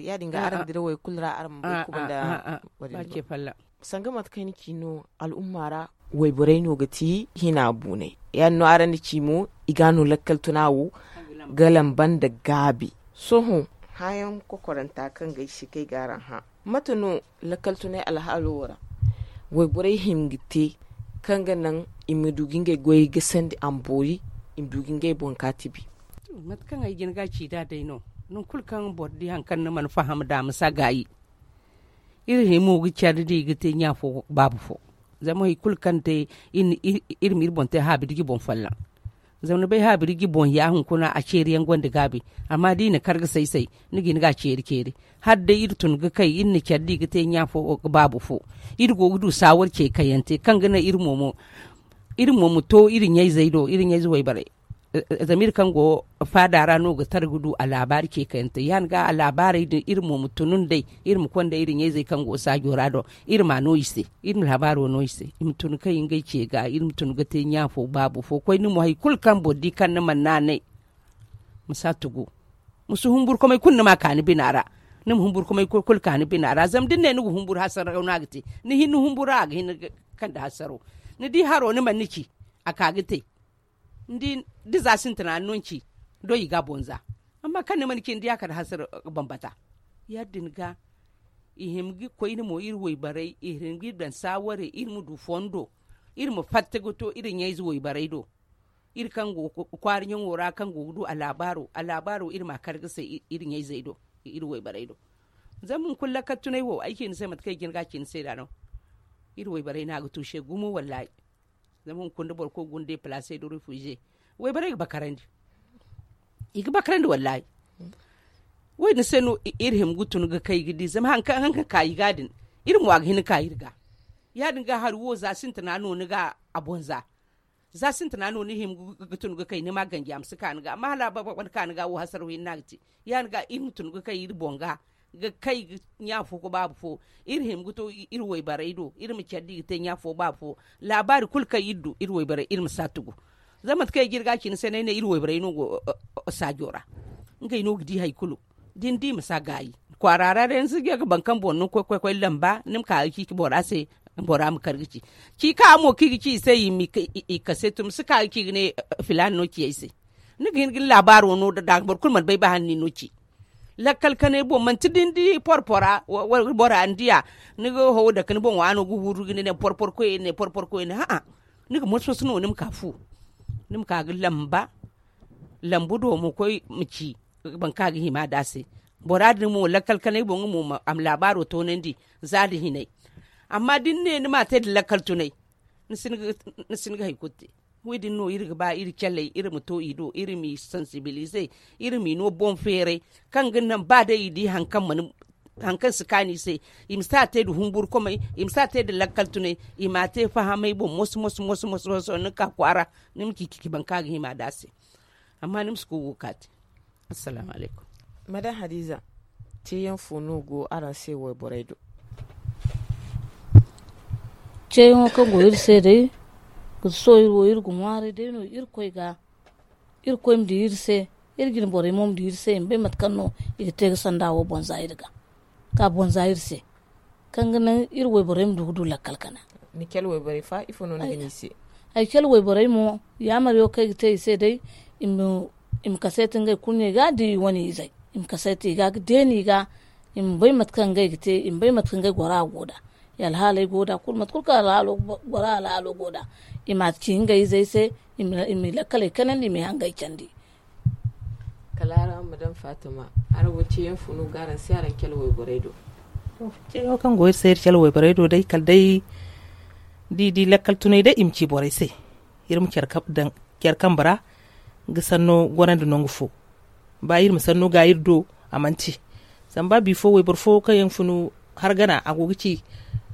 ya- din ga araŋ dirawey kulu ra araŋ ma bay kuba nda. Ba ce folloŋ. Sanga mate kaŋ ni ci no, al'umma ra wayborey no ga ti hina buunay. Ya- din no araŋ na ci mo, i ga no lakkal tuna wo ga lamba nda gaabi. Sohõ, hãayaŋ kokoranta kaŋ ga ay se kaŋ ay ga araŋ hã, mate no lakkal tunay alhaalo wo ra wayborey hima ga te kaŋ ga naŋ i ma du ga ngey goyey gasandi a ma boori, i ma du ga ngey boŋ kaati bi? Mate kaŋ ay jin ga a ci nd'a day no, nangu kulu kaŋ boro di hari kaŋ ni mana faham nd'a ma si a gaayi. Iri himo ga care da i ga te ɲa fo, baabu fo. Zama hari kulu kaŋ te, iri ma iri boŋ te haabirji boŋ folloŋ. Zama ni bay haabirji boŋ ya hunkuna a ceeri yaŋ gonda gaabi. Amma da i na kar ga say say, ni ga hin ga a ceeri ceeri. Hala day iri tun ga kay, iri na care da i ga te ɲa fo, baabu fo. Iri go ga du saawar ce kayante kaŋ ga naŋ iri mo ma to iri ɲayzey do, iri ɲayze wayborey. Zama iri kaŋ go faada ra no ga tara ga du a laabaari ce kayante ya- din ga a laabaarey din iri mo ma tunu nd'ey. Iri ma konda iri ɲayzey kaŋ go saajo ra do, iri ma a no i se, iri ma laabaaro no i se, i ma tun kay ngey ce ga, iri ma tun ga te ɲa fo, baabu fo. Koyne mo hari kulu kaŋ boro di kaŋ ni mana naanay, ma si a tugu. Ma si humburkumay kulu ni ma a ka ni bina ra. Ni ma humburkumay kulu ka ni bina ra zama da ni ne ni ga humburu hasaraw no a ga te. Ni hin ni humburu a ga hin ga kande hasaraw. Ni di haro ni mana ni ci, a ka ga te. Ni di, da za sintina ni no ni ci, doy i ga a boŋ za. Amma kaŋ ni mana ci ni di a kala hasara, bambata. Ya- din ga i hima ga koyne mo iri wayborey, i hima ga iri daŋ saawarey, iri ma du fondo, iri ma fatta ga to iri ɲayze wayborey do. Iri kaŋ go kwaara ɲaŋo ra kaŋ go ga du a laabaaro, a laabaaro iri ma a kar ga say iri ɲayzey do, iri wayborey do. Zama hunkuna lakkal tunay wo ay ci ni se mate kaŋ ay jin ga a ci ni se nd'a no. Iri wayborey no a ga tuuse gumo wallaahi. Zama hunkuna da boro koy ga guna deplaase da refuze, wayborey ga bakarandi. I ga bakarandi wallaahi. Wo- din se no iri hima ga tun ga kay ga di zama hari kaŋ ka i ga din, iri mo a ga hin ka iri ga. Ya- din ga hari wo za sintina no ni ga a boŋ za. Za sintina no ni hima ga tun ga kay ni ma ganji a ma si ka ni ga amma hala a baba ga ka ni ga wo hasaraw hinne no a ga te. Ya- din ga iri ma tun ga kay iri boŋ ga ga kay ga ɲa fo ga baabu fo. Iri hima ga to iri wayborey do iri ma care da i ga te ɲa fo baabu fo. Laabaari kulu kaŋ iri du iri wayborey iri ma si a tugu. Zama mate kaŋ ay ga iri ga a ci ni se no ay ne iri wayborey no go saajo ra. Ngey no ga di hari kulu. Da ni di ma si a gaayi kwaara ra day ni si ga ga boro kaŋ boŋ no koy koy lamba ni ma ka ga ciiti bora se. Bora ma kar ga ci ci ka mo kaŋ i ga ci i se i ma i kase tun ma si ka ga ci ga ne filaana no ci ay se. Ni ga hin ga ni laabaaro no da boro kulu mana bay ba hala ni no ci. Lakkal kanay boŋ manti da ni di porpora bora ni diya. Ni ga haw dake ni boŋ waano ga huru ga ne porpor koy ne porpor koy ne ha'a. Ni ga moso moso no ni ma ka fu. Ni ma ka ga lamba lambu do ma koy ma ci. Boro kaŋ a ga hima nd'a se bora din mo lakkal kanay boŋ nga mo a ma laabaaro toonandi. Za nda hinay. Amma da ni ne ni m'a te nda lakkal tunay ni si ni ga hari kulu te. Wo- din no iri ga ba iri caley iri ma to i do iri m'i sansibilize. Iri m'i no boŋ feeray kaŋ ga naŋ ba day i di hari kaŋ si kaanu i se. I ma si a te nda humburkumay i ma si a te nda lakkal tunay. I m'a te fahamay boŋ moso moso moso moso ni ga ka kwaara ni ma ci ci ci boro kaŋ a ga hima nd'a se. Amma ni ma si koy go ga ka te. Assalaamu alaykum. Madam hadiza, ceeyaŋ fo no go araŋ se wayborey do? Ceeyaŋo kaŋ go iri se day ga sohõ iri wo iri ga ŋwaaray day no irkoy ga. Irkoy ma di iri se iri jine borey mo ma di iri se i ma bay mate kaŋ no i ga te ga sanda wo boŋ za iri ga ka boŋ za iri se. Kaŋ ga naŋ iri wayborey ma du ga du lakkal kana. Ni cale wayborey fa ifo no ni ga ne i se? Ay cale wayborey mo yaamariyo kaŋ ay ga te i se day i ma kaseeti ngey kulu no i ga di i wane izey. I ma kaseeti i ga ga deeni i ga i ma bay mate kaŋ ngey ga te i ma bay mate kaŋ ngey gora go nd'a. I alhaaley go nd'a kulu mate kulu kaŋ gora alhaalo go nd'a i m'a ci ngey izey se. I m'i lakkaley kanandi i m'i hangey candi. Kala araŋ ma daŋ fatima. Araŋ wo ceeyaŋ funu ga araŋ se araŋ cale wayborey do. Ceeyaŋo kaŋ go iri se iri cale wayborey do day kala day da i di lakkal tunay day i ma ci borey se. Iri ma care kambe ra ga sanno gorandi nangu fo. Ba iri ma sanno ga iri do a mana ci. Zama ba bifo wayboro fo kaŋ yaŋ funu har gana a go ga ci.